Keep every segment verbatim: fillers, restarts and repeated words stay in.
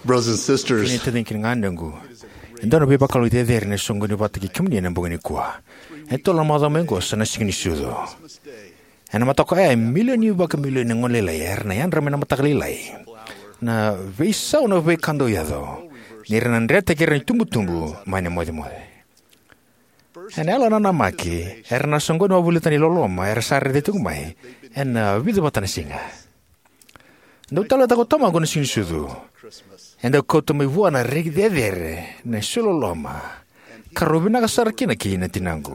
Brothers and sisters, kemuni na taciqu kei na ganequ, e dua na veivakalougatataki cecere na soqoni vata kei kemuni ena bogi nikua. E tolu na macawa mai oqo sa na Siganisucu. Ena mataka oya e milioni vakamilioni na gone lailai era na yadra mai na mataka lailai. Na veisau na veika dau yaco, ni ra na dretaki ira na itubutubu mai na mocemoce. Ena yalo nanamaki, era na soqoni wavolita na iloloma era sa raica tiko mai ena vica vata na siga. Dau taleitaka o tamaqu na Siganisucu. E dau kauta mai vua na reki cecere na isolisoli ni loloma, ka rau vinaka sara kina kei na tinaqu.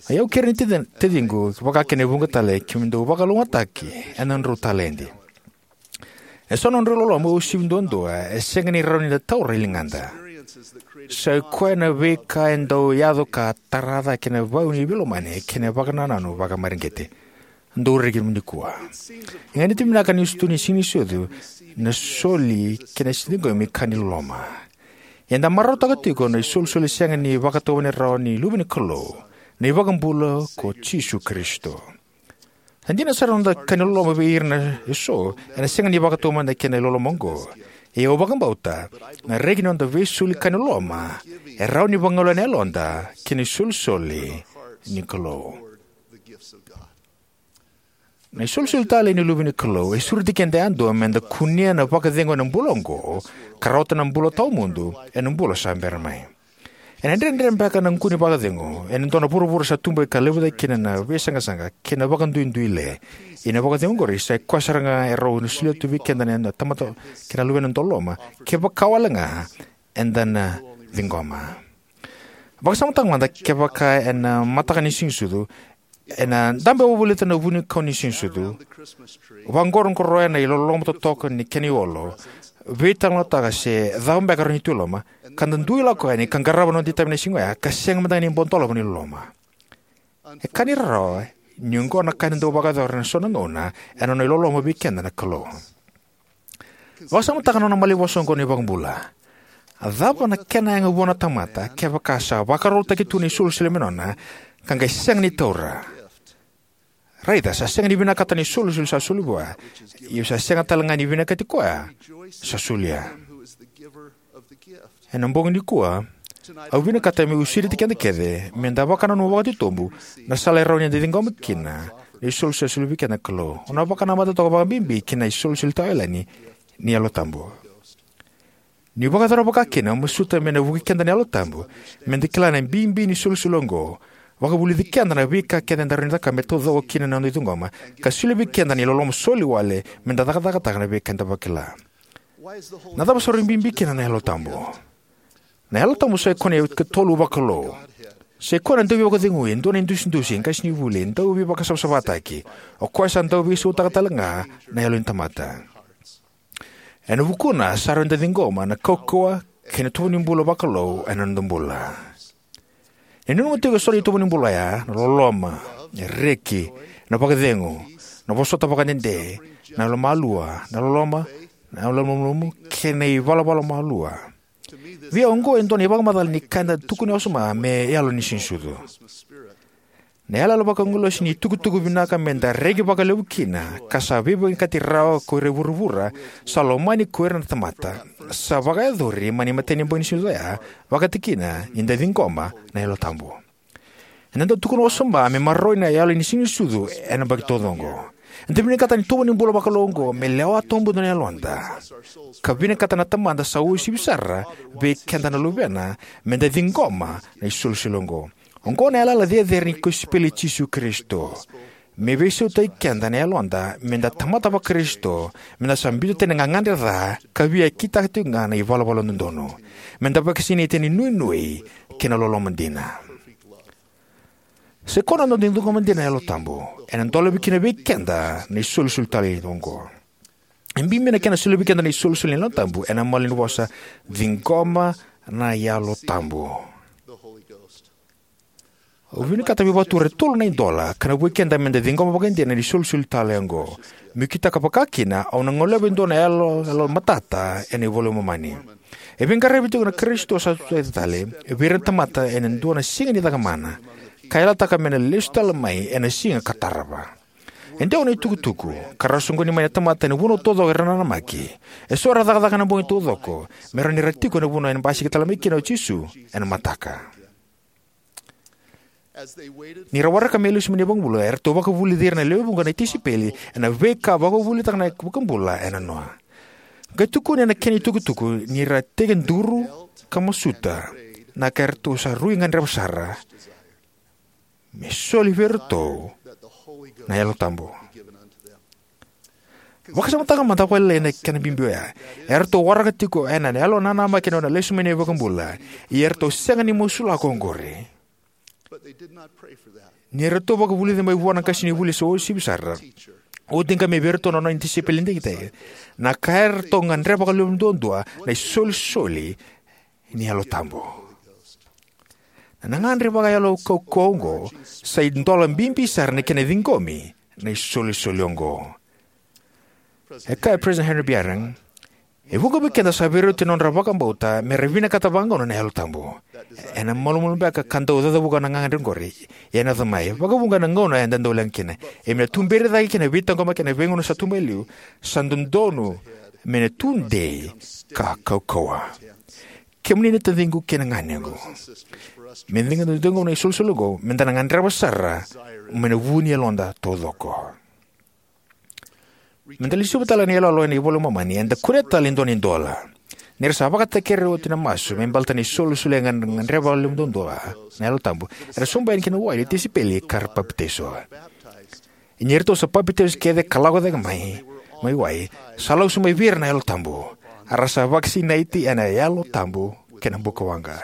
O yau kei ira na taci- taciqu, vaka kina e vuqa tale, keimami dau vakalougatataki ena nodrau taledi. Eso na nodrau iloloma uasivi duadua e sega ni rawa ni da taura e ligada. Sa i koya na veika e dau yaco ka tara cake na veiveilomani kei na vakanananu vakamareqeti. Dau reki nikua. E ganita vinaka niu sa tu ni Siganisucu na soli kei na ciqomi ka ni loloma. Eda marautaka tiko na isolisoli sega ni vakatauvatani rawa ni Luve ni Kalou, na iVakabula ko Jisu Karisito. E dina sara na noda ka ni loloma vei ira na eso, ena sega ni vakatau mada kei na iloloma oqo. Ia au vakabauta, na reki ni noda veisoli ka ni loloma e rawa ni vagolea na yaloda ki na isolisoli ni Kalou. Na isolisoli talei ni Luve ni Kalou e sureti keda yadua meda kunea na vakacegu ena bula oqo, ka rawata na bula tawamudu ena bula sa bera mai. Ena dredre beka na kune vakacegu ena dua na vuravura sa tubu ka levu cake kina na veisaqasaqa kei na vakaduiduile. Ia na vakacegu oqori sa i koya sara ga e rawa ni solia tu vei keda na tamata kei na luvena dau loloma, kevaka wale ga eda na ciqoma. Vakasamataka mada, kevaka ena mataka ni Siganisucu, ena dabe wavolita na vunikau ni Siganisucu, vaqoroqoroya na iloloma totoka ni kena iolo, veitalanoataka se cava beka e rawa ni tu e loma, ka da dui lako yani ka qarava na noda itavi ena siga oya, ka sega mada ga ni bau dolava na iloloma. E ka ni rarawa, ni oqo na ka eda dau vakayacora ena so na gauna, ena nona iloloma vei keda na Kalou. Vakasamataka na nona malanivosa oqo na iVakabula. A cava na kena yaga vua na tamata, kevaka sa vakarautaki tu na isolisoli me nona, ka qai sega ni taura? Raica, sa sega ni vinakata na isolisoli sa soli vua, ia sa sega tale ga ni vinakati koya sa solia. Ena bogi nikua, au vinakata meu sureti keda kece meda vakananuma vakatitobu na sala e rawa ni da ciqoma kina na isolisoli sa soli vei keda na Kalou. Au na vakanamata toka vakabibi ki na isolisoli tawayalani ni Yalo Tabu. Niu vakayacora vakakina, au masuta me na vukei keda na Yalo Tabu meda kila na bibi ni isolisoli oqo, vakavulici keda na veika kece eda rawa ni cakava me taucoko kina na noda ciqoma, ka solia vei keda na iloloma soli wale meda cakacakataka na veika eda vakila. Na cava sa rui bibi kina na Yalo Tabu? Na Yalo Tabu sa i koya na ikatolu vakalou. Sa i koya na Dauveivakacegui, e dua na idusidusi, e qasenivuli, e dauveivakasavasavataki. O koya sa dau veisautaka tale ga na yalo ni tamata. Ena vukuna sa rawa ni da ciqoma na kaukauwa kei na itovo ni bula vakalou ena noda bula. E nanuma tiko eso na itovo ni bula oya, na loloma, na reki, na vakacegu, na vosota vakadede, na yalomalua, na loloma, na yalomalumalumu, kei na ivalavala malua. Vei au oqo e dua na ivakamacala ni ka eda tukuna wasoma me yalo ni Siganisucu. Na yalayala vakagilosi ni itukutuku vinaka meda reki vakalevu kina, ka sa veivinakati rawa ko ira e vuravura, sa lomani ko ira na tamata, sa vakayacori mai na imatai ni bogi ni Siganisucu oya, vakatikina ni da ciqoma na Yalo Tabu. Eda dau tukuna wasoma me maroroi na yalo ni Siganisucu ena yabaki taucoko. Eda vinakata na itovo ni bula vakalou oqo me lewa tawamudu na yaloda, ka vinakata na Tamada sa uasivi sara vei keda na Luvena meda ciqoma na isolisoli oqo. Oqo na yalayala cecere ni kosipeli i Jisu Karisito, me veisautaki keda na yaloda meda tamata vaKarisito, meda sa biuta tani na gagadre ca ka via kitaka tiko ga na ivalavala dodonu, meda vakasinaiti ena inuinui kei na loloma dina. Se koya na noda ciqoma dina na Yalo Tabu, ena dolavi kina vei keda na isolisoli talei oqo. E bibi na kena solia vei keda na isolisoli ni Yalo Tabu ena malanivosa: ciqoma na Yalo Tabu. Au vinakata meu vakatura e tolu na idola ka na vukei keda meda ciqoma vakaidina na isolisoli talei oqo. Meu kitaka vakakina, au na goleva e dua na yalo, yalo matata ena iVola i Momani. E veiqaravi tiko na Karisito sa tucake tale vei ira na tamata ena dua na siga ni cakamana, ka yalataka me na lesu tale mai ena siga ka tarava. E dewa na itukutuku, ka ra soqoni mai na tamata ena vanua taucoko era nanamaki. E so era cakacaka ena bogi taucoko, me rawa ni ra tiko ena vanua ena basika tale mai kina o Jisu ena mataka. Ni ra waraka me lesu mai na iVakabula, eratou vakavulici ira na lewe vuqa na tisaipeli ena veika a vakavuvulitaka na iVakabula ena noa. Qai tukuni ena kena itukutuku ni ra tekiduru ka masuta, na ka eratou sa rui gadreva sara, me soli vei iratou na Yalo Tabu. Vakasamataka mada vakalailai na kena bibi oya. Eratou waraka tiko ena yalo nanamaki na nona lesu mai na iVakabula, ia eratou sega ni masulaka oqori. Ni ratou vakavulici mai vua na qasenivuli sa uasivi sara, oti ga mai vei iratou na nona tisaipeli digitaki, na ka eratou gadreva vakalevu duadua na isolisoli ni Yalo Tabu. Na gagadre vakayalo kaukauwa oqo sa idola bibi sara ni kena ciqomi na isolisoli oqo. E kaya o President Henry B. Eyring, e vuqa vei keda sa veirauti na nodra vakabauta me ra vinakata vagauna na Yalo Tabu. Ena malumalumu beka ka dau cacavuka na gagadre oqori, ia ena yaco mai, vakavuqa ena gauna eda dau leqa kina. Ia me na tuberi cake kei na veitaqomaki ena veigauna sa tu mai liu, sa dodonu me na tudei ka kaukauwa. Kemuni na taciqu kei na ganequ, me da ciqoma na isolisoli oqo, me da na gadreva sara mai na vu ni yaloda taucoko. Me da lesuva tale na iyaloyalo ena iVola i Momani, eda kunea tale e dua na idola. Ni ra sa vakatakekere oti na masu me baleta na isolisoli e gadreva vakalevu duadua na Yalo Tabu, era sobu yani ki na wai na tisaipeli ka ra papitaiso. Ia ni ratou sa papitaiso kece ka lako cake mai mai wai, sa lako sobu mai vei ira na Yalo Tabu. A ra sa vakasinaiti ena Yalo Tabu kei na bukawaqa.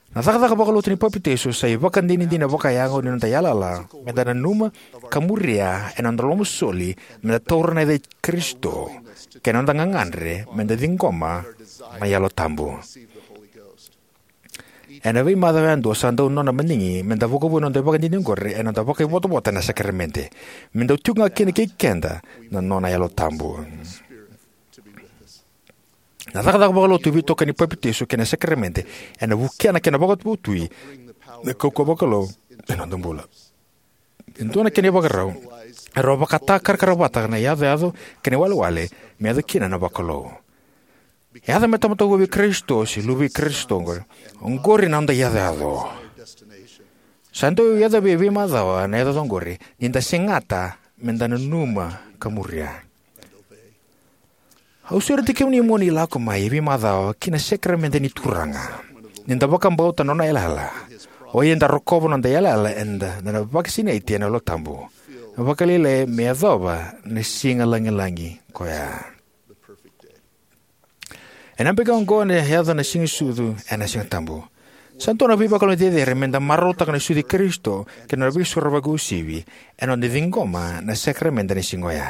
Na cakacaka vakalotu ni papitaiso sa ivakadinadina vakayago ni noda yalayala me da nanuma ka muria ena noda lomasoli me da taura na yaca i Karisito, kei na noda gagadre me da ciqoma na Yalo Tabu. Ena veimacawa yadua sa dau nona madigi me da vakavou ena noda ivakadinadina oqori ena noda vakaivotavota ena sakaramede, me dau tiko ga kina kei keda na nona Yalo Tabu. Na cakacaka vakalotu veitokani ni papitaiso kei na sakaramede ena vukea na kena vakavotui na kaukauwa vakalou ena noda bula. E dua na kena ivakarau, e rau vakatakarakaravata na iyacoyaco kei na iwalewale me yaco kina na vakalou. E yaco me tamata vou vei Karisito se luve i Karisito oqori, oqori na noda iyacoyaco. Sa dau yacovi e veimacawa na iyacoyaco oqori ni da segata me da nanuma ka muria. Au sureti kemuni mo ni lako mai e veimacawa ki na sakaramede ni Turaga, ni da vakabauta na nona yalayala. O ya eda rokova na noda yalayala eda na vakasinaiti ena Yalo Tabu, vakalailai me yacova na siga lagilagi koya. Ena yabaki oqo ena yaco na Siga ni Sucu ena Siga Tabu. Sa dua na veivakalougatataki cecere me da marautaka na sucu i Karisito kei na nona veisorovaki uasivi ena noda ciqoma na sakaramede ena siga oya.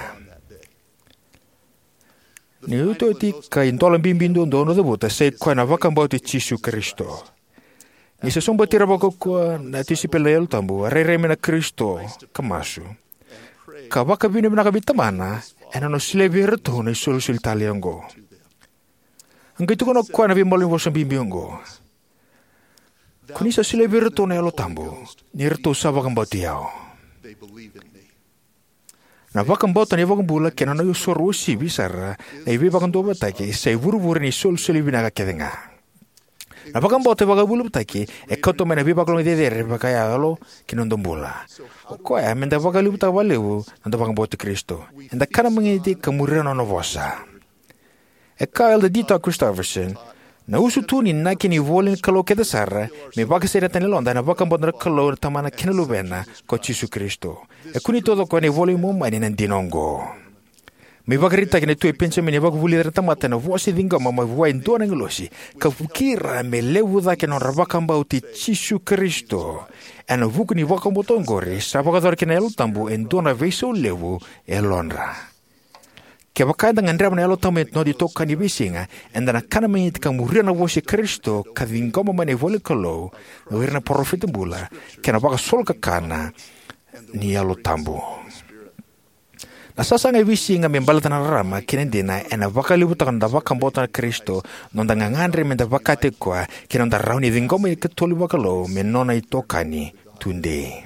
Na iotioti ka idola bibi duadua au na cavuta sai koya na vakabauti Jisu Karisito. Ni sa sobuti ira vakaukauwa na tisaipeli na Yalo Tabu, a rairai mai na Karisito ka masu, ka vakavinavinaka vei Tamana ena nona solia vei iratou na isolisoli talei oqo. A qai tukuna o koya na veimalanivosa bibi oqo: Ko ni sa solia vei iratou na Yalo Tabu, ni ratou sa vakabauti au. Na vakabauta na iVakabula kei na nona isoro uasivi sara na iVeivakaduavatataki sa ivurevure ni isolisoli vinaka kece ga. Na vakabauta vakaveiliutaki e kauta mai na veivakalougatataki cecere vakayalo ki na noda bula. O koya me da vakaliutaka vakalevu na noda vakabauti Karisito. Eda kana magiti ka muria na nona vosa. E kaya o Elder D. Todd Christofferson, na usutu ni inaki ni ivola ni Kalou kece sara me vakasinaita na yaloda ena vakabauta na Kalou na Tamana kei na Luvena, ko Jisu Karisito. E kunei taucoko ena iVola i Momani na dina oqo. Mai vakaraitaki na Tui Penijamini e vakavulici ira na tamata ena vosa e ciqoma mai vua e dua na agilosi, ka vukei ira me levu cake na nodra vakabauti Jisu Karisito. Ena vuku ni vakabauta oqori sa vakayacora kina na Yalo Tabu e dua na veisau levu e yalodra. Kevaka eda gadreva na Yalo Tabu me noda itokani e veisiga, eda na kana magiti ka muria na vosa i Karisito ka ciqoma mai na ivola ni Kalou, o ira na parofita bula, kei na vakasolokakana ni Yalo Tabu. Na sasaga e veisiga me baleta na rarama kei na dina ena vakalevutaka na noda vakabauta na Karisito, noda gagadre me da vakataki koya, kei na noda rawa ni ciqoma na ikatolu ni vakalou me nona itokani tudei.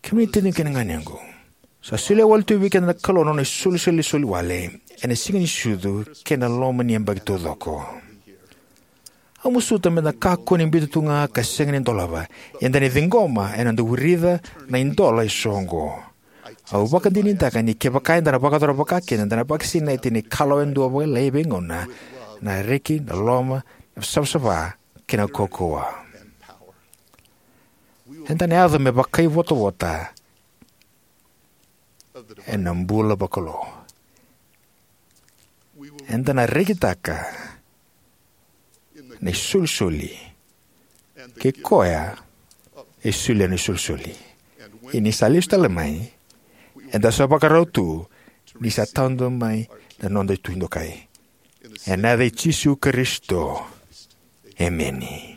Kemuni na taciqu kei na ganequ, sa solia wale tu vei keda na Kalou na nona isolisoli soli wale ena Siganisucu kei na loma ni yabaki taucoko. Au masuta meda na kakua ni biuta tu ga ka sega ni dolava, ia eda na ciqoma ena noda wirica na idola eso oqo. Au vakadinadinataka ni kevaka eda na vakayacora vakakina, eda na vakasinaiti ni kalawa yadua vakalailai e veigauna na reki, na loloma, na savasava, kei na kaukauwa. Eda na yaco me vakaivotavota ena bula vakalou. Eda na rekitaka na isolisoli, kei koya e solia na isolisoli. Ia ni sa lesu tale mai, eda sa vakarau tu ni sa tadu mai na noda Tui dokai. Ena yaca i Jisu Karisito, emeni.